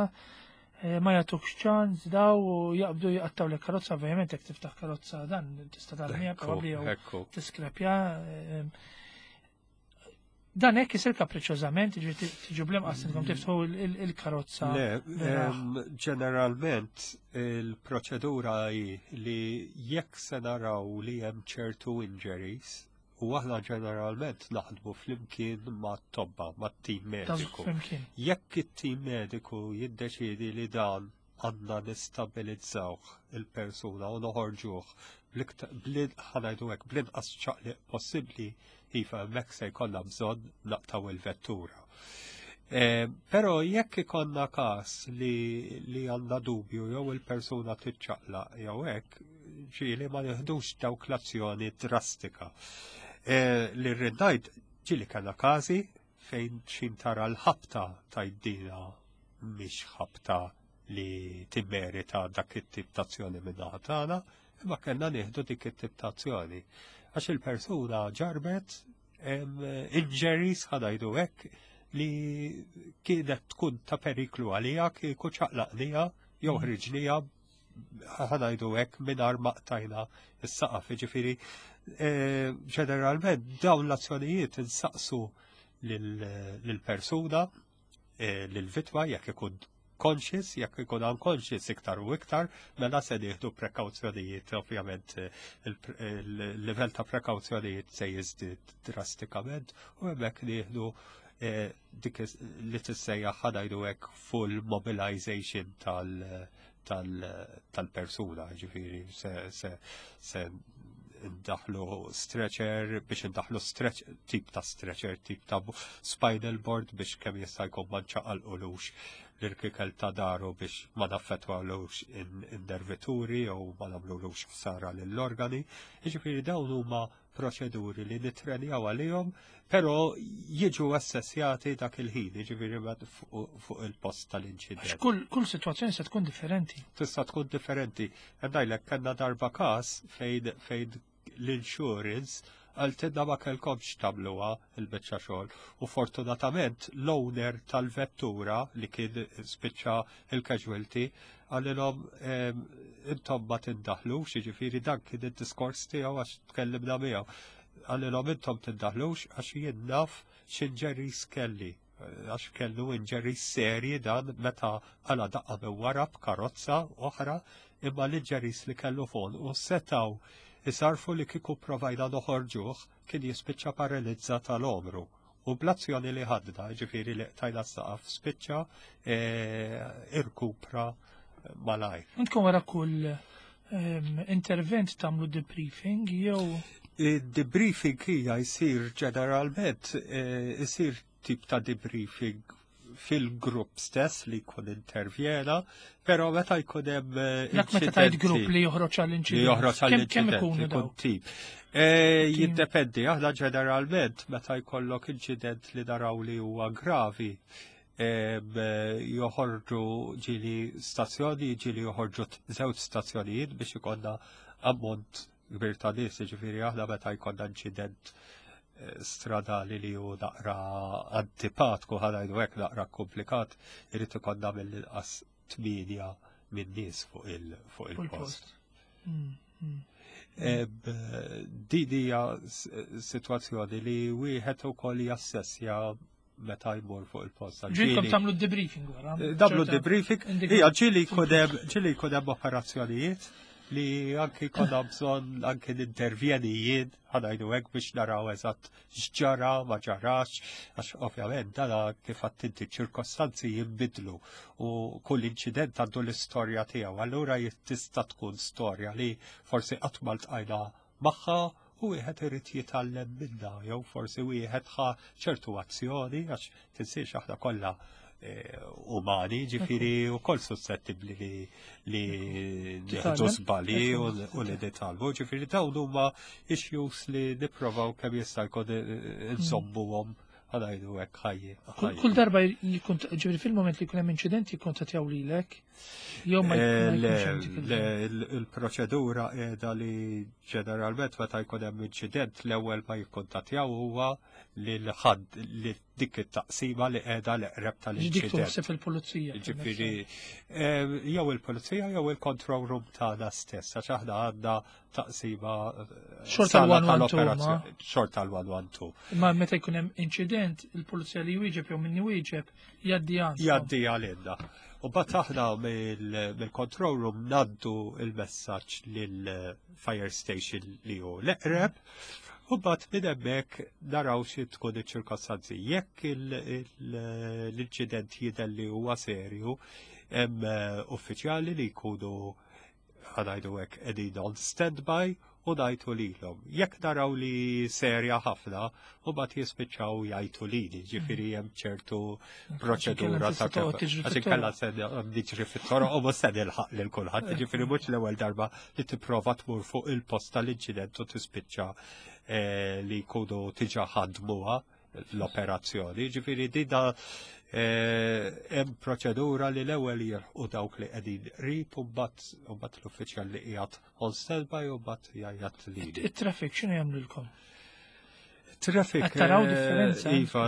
ma jagħtukx ċans daw u jaqbdu jaqtaw lek karozza, ovvjament jekk tiftaħ karozza dan tista' tarmiha probabbli jew tiskrepja. Dan hekk isir kapriċċożament, ġifieri tiġu bl-imqas intom tiftħu il-karozza? Le, ġeneralment il-proċedura hi li jekk se naraw li hemm ċertu injuries, u aħna ġeneralment naħdmu flimkien ma' tobba, ma' tim mediku. Jekk it-tim mediku jiddeċidi li dan għandna nistabilizzawh il-persuna u noħorġuh ħa ngħidu hekk bl-inqas ċaqliq possibbli, iva, hemmhekk se jkollna bżonn naqtgħu il-vettura. Eh, Però jekk ikollna każ li li għandna dubju jew il-persuna tiċċaqlaq jew hekk, ġieli ma nieħdux dawk l-azzjoni drastika. Eh, li rrid ngħid, ġieli kellna każi fejn xin tara l-ħabta tajdina mhix ħabta li timmerita dak it-tip ta' azzjoni minn naħa tagħna, imma kellna nieħdu dik it-tip ta' azzjoni. Għax il-persuna ġarbet injuries, ħa ngħidu hekk, li kienet tkun ta' periklu għalija kieku ċaqlaqnija jew Mm. ħriġnija, ħa ngħidu hekk, mingħajr ma qtajna s-saqaf. Ġifieri, eh, ġeneralment dawn l-azzjonijiet insaqsu lill-persuna, eh, lill-vittma, jekk ikun conscious. Jekk ikun unconscious iktar u iktar, mela se nieħdu prekawzjonijiet, ovvjament eh, il-livell ta' prekawzjonijiet se jiżdied drastikament u hemmhekk nieħdu eh, dik li tissejjaħ, ħa ngħidu hekk, full mobilization tal- tal-persuna, ġifieri se, se, se ndaħlu stretcher, biex ndaħlu stretch, tip ta' stretcher, tip ta' spinal board biex kemm jista' jkun ma nċaqalqulux l-irkikel ta' daru biex ma naffettwalux in-nervituri jew ma nagħmlulux ħsara lill-organi. Jiġifieri dawn huma proċeduri li nitrenjaw għalihom, però jiġu assessjati dak il-ħin, jiġifieri fuq il-post tal-inċident. Kull, kull situazzjoni se tkun differenti. Tista' tkun differenti. Ngħidlek, kellna darba każ fejn fejn l-insurance qaltilna ma kellkomx tagħmluha il-biċċa xogħol u fortunatament l-owner tal-vettura li kien spiċċa il-casualty qalilhom intom ma tindaħlux, jiġifieri dan kien id-diskors tiegħu għax tkellimna miegħu. Qalilhom intom tindaħlux għax jien naf x'injuries kelli, għax kellu injuries serji dan meta qala' daqqa minn wara b'karozza oħra, imma l-injuries li kellu fuq u setaw isarfu li kieku provajna noħorġuh kien jispiċċa paralizza tal-omru. U bl-azzjoni li ħadna, ġifieri li qtajna s-saqaf, spiċċa e, irkupra malajr. Intkom wara kull ehm, intervent tagħmlu debriefing jew? Debriefing hija jsir ġeneralment, jsir tip ta' debriefing fil-grupp stess li jkun intervjena, però meta jkun hemm eh, Dak meta tajt grupp li joħroġ għall-inċident. Li joħroġ Kemm kemm għall-inċident, ikunu ikun dawk? tip. Eh, Jiddependi, aħna ġeneralment meta jkollok inċident li naraw li huwa gravi, em, eh, joħorġu ġieli stazzjoni, ġieli joħorġu t- żewġ stazzjonijiet biex ikollna ammont kbir ta' nies, ġifieri aħna meta jkollna inċident eh, stradali li hu naqra antipatku, ħa ngħidu hekk, naqra komplikat, irid ikollna mill-inqas tmienja minn nies fuq il- fuq Fuq il-post. il-post. Mm, mm. Eb, Din hija s- sitwazzjoni li wieħed ukoll jassessja meta jmur fuq il-post. Ġilkom Ġieli- tagħmlu debriefing wara. Nagħmlu ċerta debriefing. indika- Ija, ġieli jkun hemm ġieli jkun hemm operazzjonijiet li anki jkollna bżonn anki nintervjeni jien, ħa ngħidu hekk, biex naraw eżatt x'ġara, ma ġarax, għax ovvjament dana kif għedt inti ċirkostanzi jinbidlu u kull inċident għandu l-istorja tiegħu. Allura tista' tkun storja li forsi qatt ma ltqajna magħha u wieħed irid jitgħallem minnha, jew forsi wieħed ħa ċertu azzjoni, għax tinsiex aħna kollha eh, umani, ġifieri u koll suscettibli li li nieħdu Titgħallem. żbalji u u li nitgħallmu, ġifieri dawn huma issues li nipprovaw kemm jista' jkun eh, nżommuhom, ħa ngħidu hekk, ħajji. Kull kull darba jkun, ġifieri fil-moment li jkun hemm inċident jikkontattjaw lilek jew ma Eh, ma le, jkunx hemm dik il- le, il- Il-proċedura qiegħda li ġeneralment meta jkun hemm inċident l-ewwel ma jikkontattjaw huwa lil ħadd li dik it-taqsima li qiegħda l-eqreb Dik tal-inċident. tuħseb il-pulizija. Ġifieri, eh, jew il-pulizija jew il-control room tagħna stess, għax aħna għandna taqsima eh, Xorta sala l-one one two, tal-operazzjoni. Xorta l-one one two. Ma meta jkun hemm inċident, il-pulizija li jwieġeb jew min iwieġeb jgħaddi għand. Jgħaddi għalina. U mbagħad aħna mill- mill-control room ngħaddu il-messaġġ lill-fire station li hu l-eqreb u mbagħad minn hemmhekk naraw xi tkun iċ-ċirkostanzi. Jekk il- il- l-inċident jidher li huwa serju, hemm eh, uffiċjali li jkunu, ħa ngħidu hekk, qegħdin on standby u ngħidu lilhom. Jekk naraw li serja ħafna, u mbagħad jispiċċaw jgħidu lili, ġifieri hemm ċertu proċedura ta' Toqgħod tiġri kif. Għax fit-toroq. inkella se niġri fit-toroq u mhux se nilħaq lil kulħadd, ġifieri mhux l-ewwel darba li tipprova tmur fuq il-post tal-inċident u tispiċċa eh, li jkunu diġà ħadmuha l-operazzjoni. Ġifieri dina eh, hemm proċedura li l-ewwel jilħqu dawk li qegħdin qrib u mbagħad u mbagħad l-uffiċjal li qiegħed on standby u mbagħad jgħajjat lili. Il-traffic x'inhu jagħmlulkom? Traffic. Qed taraw eh, differenza? Iva,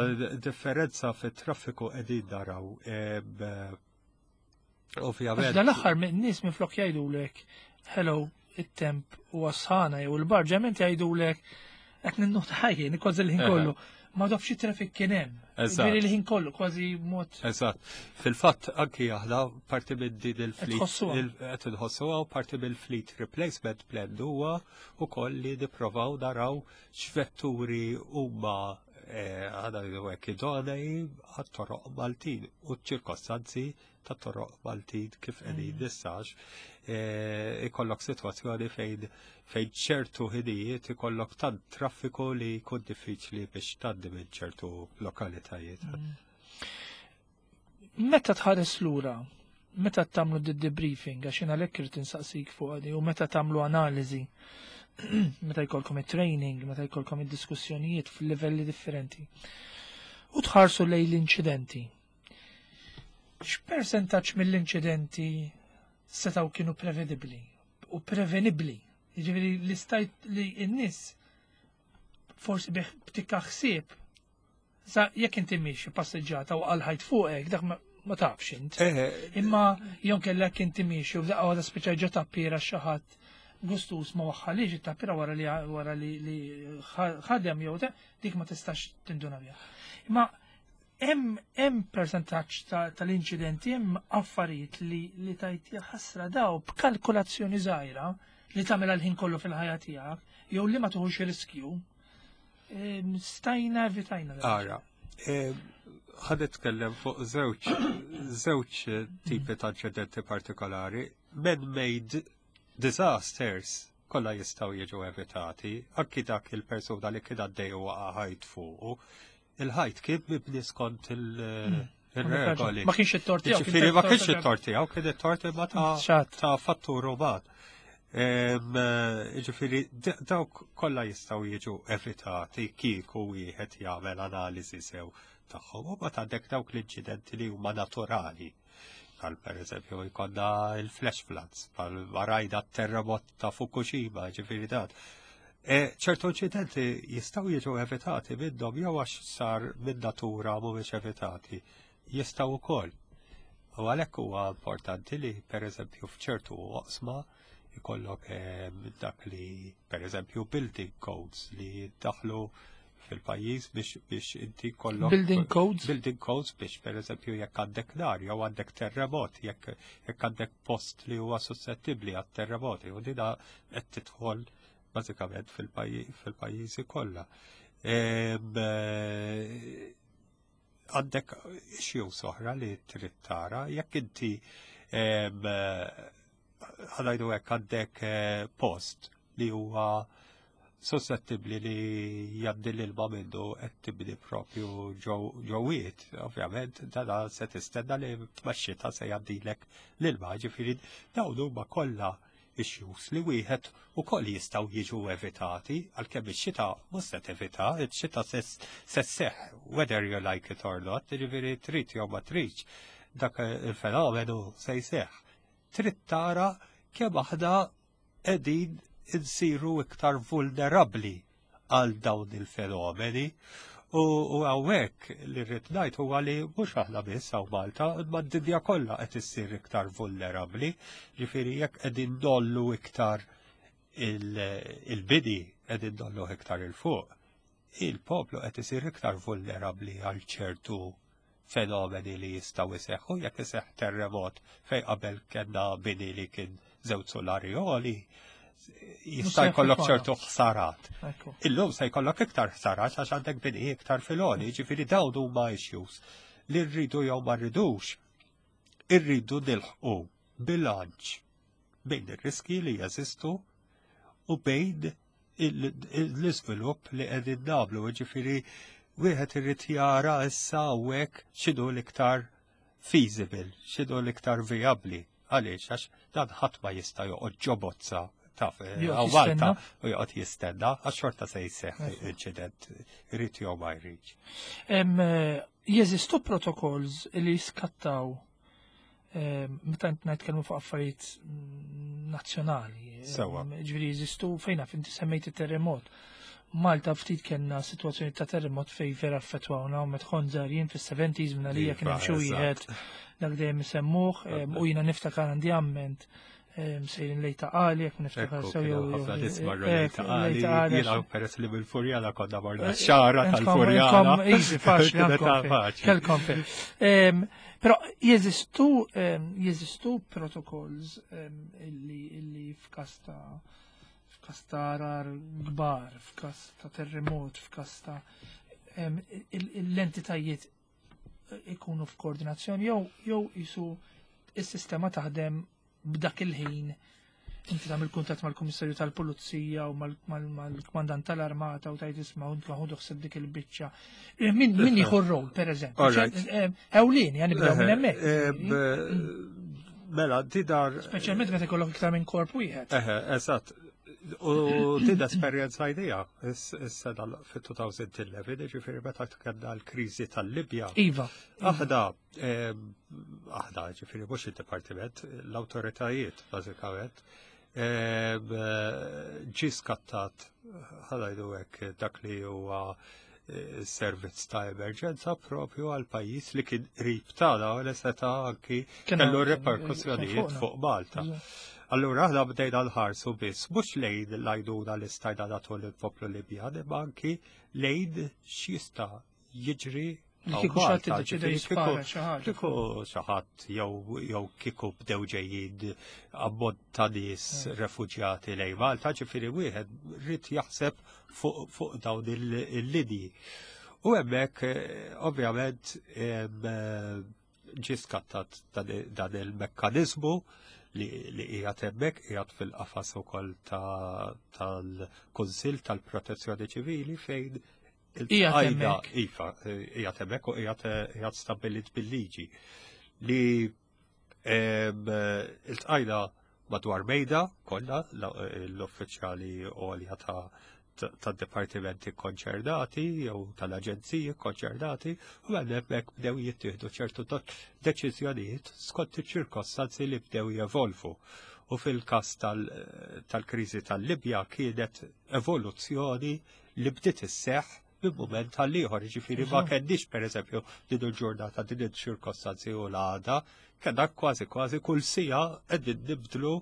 differenza fit traffiku qegħdin naraw. Em, eh, Ovvjament. Dal-aħħar minn nies minflok jgħidulek "Hello, it-temp u sħana" jew il-barġament, jgħidulek qed ninnota ħajjin kważi l-ħin kollu. Ma tafx traffic kien hemm. Eżatt. Ġifieri l-ħin kollu kważi mod Eżatt. Fil-fatt anki aħna parti minn din il-fleet tħossuha. il- qed inħossuha u parti mill-fleet replacement plan huwa ukoll li nipprovaw naraw x'vetturi huma eh, għada hekk idonei għat-toroq Maltin u ċ-ċirkostanzi ta' toroq Maltin kif qegħdin nissax. eh, ikollok sitwazzjoni fejn fejn ċertu ħinijiet ikollok tant traffiku li jkun diffiċli biex tgħaddi minn ċertu lokalitajiet. Meta tħares lura, meta tagħmlu d-debriefing, għax jiena għalhekk irid insaqsik fuq għadi, u meta tagħmlu analiżi, meta jkollkom it-training, meta jkollkom id-diskussjonijiet fil-livelli differenti, u tħarsu lejn l-inċidenti. X'persentaġġ mill-inċidenti setgħu kienu prevedibbli u prevenibbli? Jiġifieri li stajt li n-nies forsi bih btikka ħsieb. Sa jekk inti miexi passeġġata u għal-ħajt fuqek, dak ma, ma tafx int. Eh, Imma jon kellek inti miexi u f'daqqa waħda spiċċa ġo tappira xi ħadd gustus ma waħħalix it-tappira wara li wara li, li ħadem jew te, dik ma tistax tinduna biha. Imma hemm hemm persentaġġ ta- tal-inċidenti, hemm affarijiet li li tajt ħasra daw b'kalkulazzjoni żgħira li tagħmel l-ħin kollu fil-ħajja tiegħek jew li ma tuħux riskju. em, Stajna evitajna dan. Ara, ħa nitkellem fuq żewġ żewġ tipi ta' inċidenti partikolari. Man-made disasters kollha jistgħu jiġu evitati, anki dak il-persuna li kien għaddej u waqa' ħajt fuqu. Il-ħajt kien mibni skont il- il-regoli. Ma kienx it-tort tiegħu. Kien Ġifieri ma tort kienx ta' it-tort tiegħu, kien it-tort imma ta' Xat. ta' fattur uman. Em, eh, Ġifieri d- dawk kollha jistgħu jiġu evitati kieku wieħed jagħmel analiżi sew tagħhom u ma għandek dawk l-inċidenti li huma naturali. Bħal per eżempju jkollna il-flash floods, bħal rajna terremot ta' Fukushima, ġifieri dan. E, ċertu inċidenti jistgħu jiġu evitati minnhom jew għax sar minn natura mhumiex evitati. Jistgħu wkoll. U għalhekk huwa importanti li per eżempju f'ċertu oqsma jkollok eh, dak li per eżempju building codes li daħlu fil-pajjiż biex biex inti kollok Building codes? Building codes biex per eżempju jekk għandek nar jew għandek terremot, jekk jekk għandek post li huwa suscettibbli għat terremoti u dina qed tidħol bażikament fil-pajji- fil-pajjiżi kollha. Em, eh, Għandek issues oħra li trid tara, jekk inti em, eh, ħa ngħidu hekk għandek eh, post li huwa suscettibbli li jgħaddi l-ilma minnu, qed tibni propju ġowiet, ovvjament, dana se tistenna li max-xita se jgħaddilek l-ilma, ġifieri dawn huma kollha issues li wieħed ukoll jistgħu jiġu evitati, għalkemm ix-xita mhux se tevita, ix-xita se se sseħħ whether you like it or not, ġifieri trid jew ma tridx, dak il-fenomenu se jseħħ. Trid tara kemm aħna qegħdin insiru iktar vulnerabbli għal dawn il-fenomeni. U u hawnhekk li rrid ngħid huwa li mhux aħna biss hawn Malta, imma d-dinja kollha qed issir iktar vulnerabbli, ġifieri jekk qegħdin ngħollu iktar il- il-bini qegħdin ngħollu iktar 'il fuq, il-poplu qed isir iktar vulnerabbli għal ċertu fenomeni li jistgħu jseħħu. Jekk iseħħ terremot fejn qabel kellna bini li kien żewġ solari għoli, jista' se jkollok jaffettwana. ċertu ħsarat. Ekku. Illum se jkollok iktar ħsarat għax għandek bini iktar fil-għoli, ġifieri dawn huma issues li rridu jew ma rridux, irridu nilħqu bilanċ bejn ir-riski li jeżistu u bejn il- l-iżvilupp li qegħdin nagħmlu, ġifieri wieħed irid jara issa hawnhekk x'inhu l-iktar feasible, x'inhu l-iktar viabli. Għaliex, għax dan ħadd ma jista' joqgħod ġo bozza taf eh, Joqgħod hawn Malta jistenna. u joqgħod jistenna għax xorta se jseħħ inċident, irid jew ma jridx. Em, eh, Jeżistu protocols li jiskattaw em, meta nitkellmu fuq affarijiet mm, nazzjonali. Sewwa. Em, Ġifieri jeżistu fejn naf inti semmejt it-terremot. Malta ftit kellna sitwazzjoni ta' terremot fej vera affettwawna u meta kont żgħir jien fis-seventies minn għalija kien hemm xi wieħed dak dejjem isemmuh u jiena niftakar għandi amment sejrin lejn Ta' Qali, jekk niftakar sew jew ħafna nies marru lejn Ta' Qali, jiena peress li mill-Furjana konna morna xara tal-Furjana. Easy, faċli, kelkom fejn. Però jeżistu jeżistu protocols illi f'każ ta' f'każ ta' għargħar kbar, f'każ ta' terremot, f'każ ta' l-entitajiet ikunu f'koordinazzjoni jew jew jisu is-sistema taħdem b'dak il-ħin inti tagħmel kuntatt mal-Kummissarju tal-Pulizija u mal-Kmandant tal-Armata u tajt isma' u ħudu ħsieb dik il-biċċa. Min min jieħu r-rol, pereżempju? Ewlieni, għan nibdew minn hemmhekk. Mela, tidar. Speċjalment meta jkollok iktar minn korp wieħed. Eħe, eżatt. U din esperjenza idea, is-sena fit-elfejn u ħdax, ġifieri meta kellna l-kriżi tal-Libja. Iva. Aħna, aħna, ġifieri mhux il-dipartiment, l-awtoritajiet, bażikament, ġi skattat, ħa ngħidu hekk, dak li huwa eh, servizz ta' emerġenza propju għal pajjiż li kien qrib tagħna u li seta' anki kellu reperkussjonijiet fuq Malta. Allura aħna bdejna nħarsu biss mhux lejn l-għajnuna li stajna nagħtu lill-poplu Libjan, imma anki lejn x'jista' jiġri Kieku xi ħadd iddeċida jispara xi ħaġa. Kieku xi ħadd jew jew kieku bdew ġejjin ammont ta' nies refuġjati lejn Malta, ġifieri wieħed rrid jaħseb fuq fuq dawn il-linji. U hemmhekk eh, ovvjament ġi skattat dan il-mekkanizmu li li qiegħed hemmhekk, qiegħed fil-qafas ukoll tal-Kunsill tal-Protezzjoni Ċivili fejn il-tqajda iva, qiegħed hemmhekk u qiegħed stabbilit bil-liġi li il-tqajda madwar mejda kollha l-uffiċjali għolja ta' tad-dipartimenti konċernati jew tal-aġenziji konċernati u għal hemmhekk bdew jittieħdu ċertu deċiżjonijiet skont iċ-ċirkostanzi li bdew jevolvu. U fil-każ tal-kriżi tal-Libja kienet evoluzzjoni li bdiet isseħħ minn mument għall-ieħor, ġifieri ma kenniex pereżempju din il-ġurnata din iċ-ċirkostanzi u l-għada, kellna kważi kważi kull siegħa qegħdin nibdlu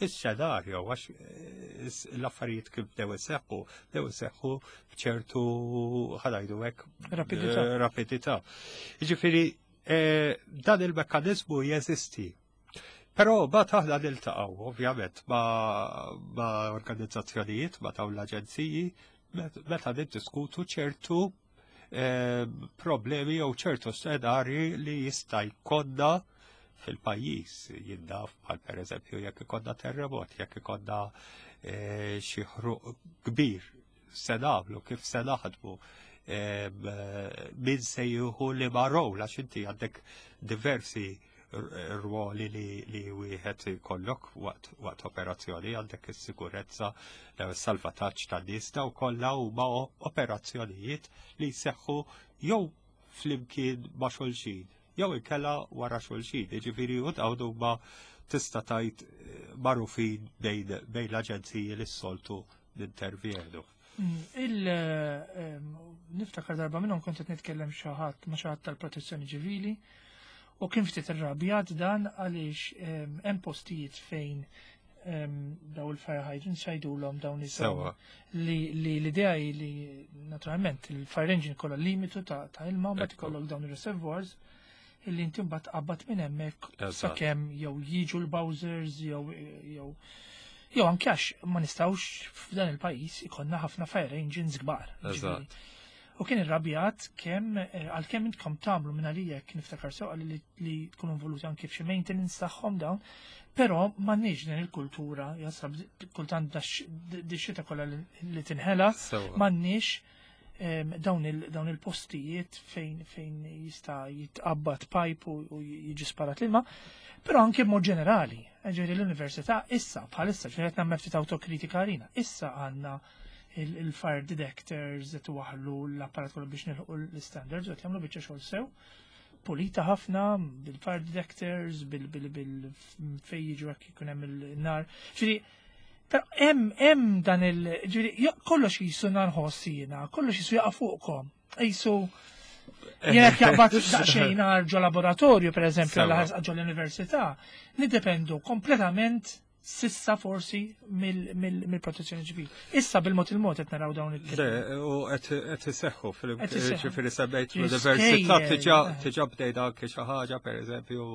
il-xenarju, għax eh, l-affarijiet kif bdew iseħħu, bdew iseħħu bċertu, ħa ngħidu hekk, rapidità. Eh, rapidità. Ġifieri, eh, dan il-mekkanizmu jeżisti. Però ma aħna niltaqgħu, ovvjament, ma, ma organizzazzjonijiet, ma dawn l-aġenziji, meta niddiskutu ċertu eh, problemi jew ċertu scenarji li jista' jkollna fil-pajjiż, jinnaf, bħal per eżempju jekk ikollna terremot, jekk ikollna eh, xi ħruq kbir, se nagħmlu, kif se naħdmu, min se jieħu li ma rol, għax inti għandek diversi ruoli li, li wieħed jkollok waqt, waqt operazzjoni, għandek is-sikurezza, salvataġġ tan-nies, daw kollha huma operazzjonijiet li jseħħu jew flimkien ma' xulxin jew inkella wara xulxin, jiġifieri u dawn huma tista' tgħid eh, magħrufin bejn bejn l-aġenziji li s-soltu nintervjenu. Mm, Il ehm, niftakar darba minnhom kont qed nitkellem xi ħadd ma' xi ħadd tal-protezzjoni ċivili u kien ftit irrabjat dan għaliex ehm, hemm postijiet fejn ehm, daw il-fire hydrants jgħidulhom dawn Sewa. li li l-idea hi li naturalment il-fire engine kollha limitu ta' ta' ilma, mbagħad Ekku. ikollok dawn ir-reservoirs illi inti mbagħad tqabbad minn hemmhekk Eżatt. sakemm jew jiġu l-bowsers jew jew jew anke għax ma nistgħux f'dan il-pajjiż ikollna ħafna fire engines kbar. Eżatt. U kien irrabjat kemm eh, għalkemm intkom tagħmlu minn għalija, kien niftakar sew li, li tkunu involuti anke f'xi maintenance tagħhom dawn, però m'għandniex din il-kultura, jasab kultant di xita kollha li, li tinħela, Sewa. m'għandniex em, dawn il- dawn il-postijiet fejn fejn jista' jitqabbad pipe u, u jiġi sparat l-ilma, però anke b'mod ġenerali, ġifieri l-università issa bħalissa ġifieri qed nagħmel ftit autokritika għalina, issa għandna il- il-fire detectors qed waħlu l-apparat kollu biex nilħu l-standards u qed jagħmlu biċċa xogħol sew pulita ħafna bil-fire detectors, bil bil bil fejn jiġu hekk ikun hemm il-nar. Ġifieri Però hemm hemm dan il ġifieri kollox jisu nħoss jiena, kollox jisu jaqa' fuqkom. Jisu jekk jaqbad daqsxejn nar ġo laboratorju, per eżempju, ġo l-università, niddependu kompletament s'issa forsi mill-protezzjoni ċivili. Issa bil-mod il-mod qed naraw dawn il Le, u qed iseħħu fil-ġifieri semmejt l-università diġà bdejna anke xi ħaġa pereżempju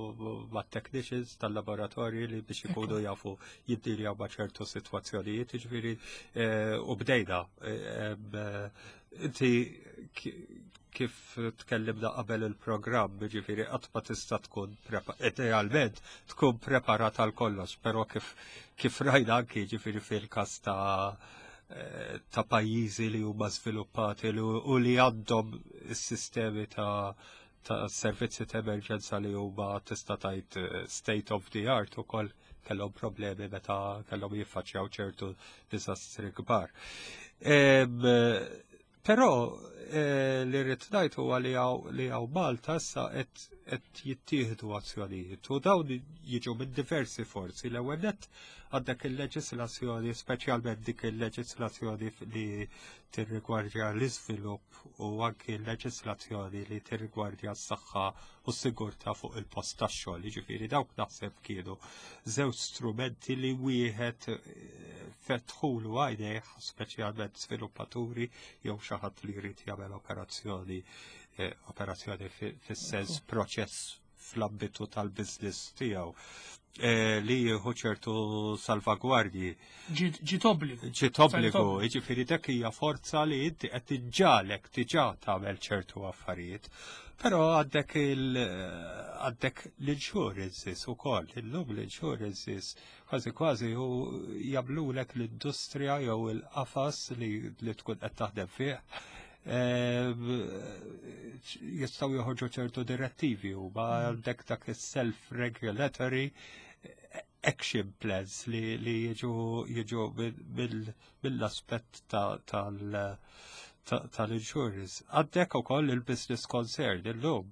mat-technicians tal-laboratorji li biex ikunu jafu jiddiljaw ma' ċertu sitwazzjonijiet, ġifieri u bdejna. Inti kif tkellimna qabel il-programm, ġifieri qatt ma tista' tkun idealment tkun preparat għal kollox, però kif kif rajna anki ġifieri fil-każ ta' ta' pajjiżi li huma żviluppati u li għandhom is-sistemi ta' ta' servizzi ta' emerġenza li huma tista' tgħid state of the art ukoll kellhom problemi meta kellhom jiffaċċjaw ċertu diżastri kbar. Però li rrid ngħid huwa li hawn Malta issa qed jittieħdu azzjonijiet u dawn jiġu minn diversi forzi. L-ewwel nett għandek il-leġislazzjoni, speċjalment dik il-leġislazzjoni li tirrigwardja l-iżvilupp u anki l-leġislazzjoni li tirrigwardja s-saħħa u s-sigurtà fuq il-post tax-xogħol. Jiġifieri dawk naħseb kienu żewġ strumenti li wieħed fetħulu għajnejh, speċjalment sviluppaturi jew xi ħadd li jrid jagħmel operazzjoni operazzjoni fis-sens proċess fl-ambitu tal-business tiegħu li jieħu ċertu salvagwardji. Ġiet obbligu. Ġiet obbligu, jiġifieri dak hija forza li inti qed tiġġalek diġà tagħmel ċertu affarijiet. Però għandek il għandek l-insurances ukoll, illum l-insurances kważi kważi u jagħmlulek l-industrija jew il-qafas li, li tkun qed taħdem fih jistgħu joħorġu ċertu direttivi u ma għandek dak il-self-regulatory action plans li, li jiġu jiġu mill-aspett tal-insurance. Għandek ukoll il-business concern illum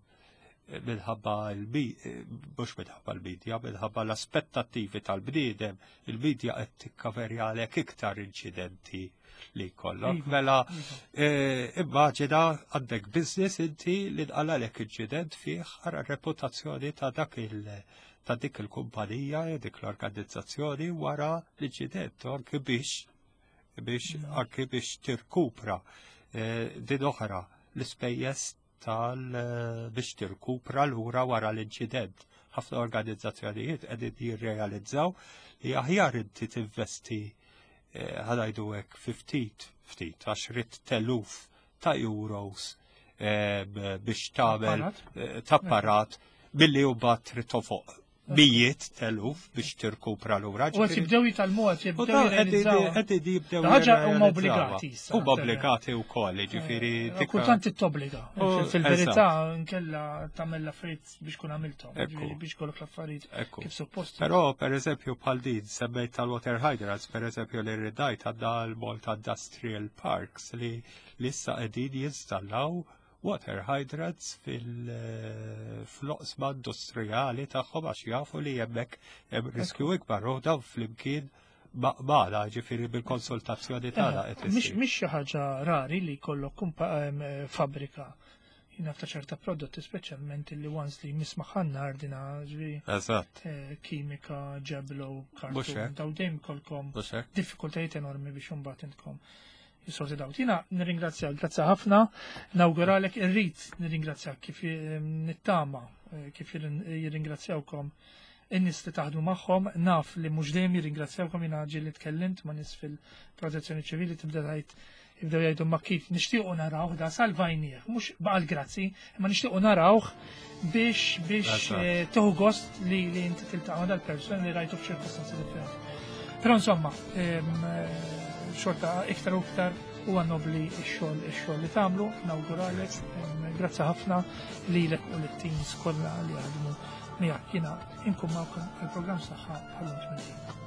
minħabba mhux minħabba l-medja, minħabba l-aspettattivi tal-bniedem, il-medja qed tikkaverjalek iktar inċidenti li jkollok. Iva, mela, iva. Immaġina għandek business inti li nqalalek inċident fih ara reputazzjoni ta' dak il- ta' dik il-kumpanija, dik l-organizzazzjoni wara l-inċident, anke biex biex mm. anke biex tirkupra din oħra l-ispejjeż tal biex tirkupra lura wara l-inċident. Ħafna organizzazzjonijiet qegħdin jirrealizzaw li aħjar inti tinvesti ħa ngħidu hekk fi ftit ftit għaxriet t'eluf ta' euros biex tagħmel t'apparat billi u bat trid tofoq mijiet t'eluf biex tirkupra lura. U qed jibdew jitgħallmu, qed jibdew jirrealizzaw. Qed jibdew Ħaġa huma obbligati issa. Huma obbligati wkoll, jiġifieri. Kultant titobbliga. Fil-verità nkella tagħmel l-affarijiet biex kun għamilthom, biex kollok l-affarijiet kif suppost. Però pereżempju bħal din semmejt tal-water hydrants, pereżempju li rridajt għandna l-Malta Industrial Parks li issa qegħdin jinstallaw water hydrants fil-oqsma industrijali tagħhom għax jafu li hemmhekk hemm riskju ikbar u dawn flimkien magħna ġifieri bil-konsultazzjoni tagħna qed Mhix mhix xi ħaġa rari li jkollok fabbrika jina ta' ċerta prodotti speċjalment li once li mismaħ nar dina ġifieri. Eżatt. Kimika, ġeblo, kartun, daw dejjem kolkom diffikultajiet enormi biex imbagħad intkom jissorti daw. Jiena nirringrazzjak, grazzi ħafna, nawguralek irrid nirringrazzjak kif nittama, kif jirringrazzjawkom in-nies li taħdmu magħhom, naf li mhux dejjem jirringrazzjawkom jiena ġieli tkellimt ma' nies fil-protezzjoni ċivili tibda tgħid jibdew jgħidu ma kif nixtiequ narawh da salvajnieh, mhux baqal grazzi, imma nixtiequ narawh biex biex tieħu gost li li inti tiltaqa' dal-persuna li rajtu f'ċirkostanzi differenti. Però insomma, xorta iktar u iktar huwa nobli x-xogħol ix-xogħol li tagħmlu, nawguralek, grazzi ħafna lilek u lit-teams kollha li jaħdmu miegħek. Jiena inkun magħkom għall-programm Saħħa bħal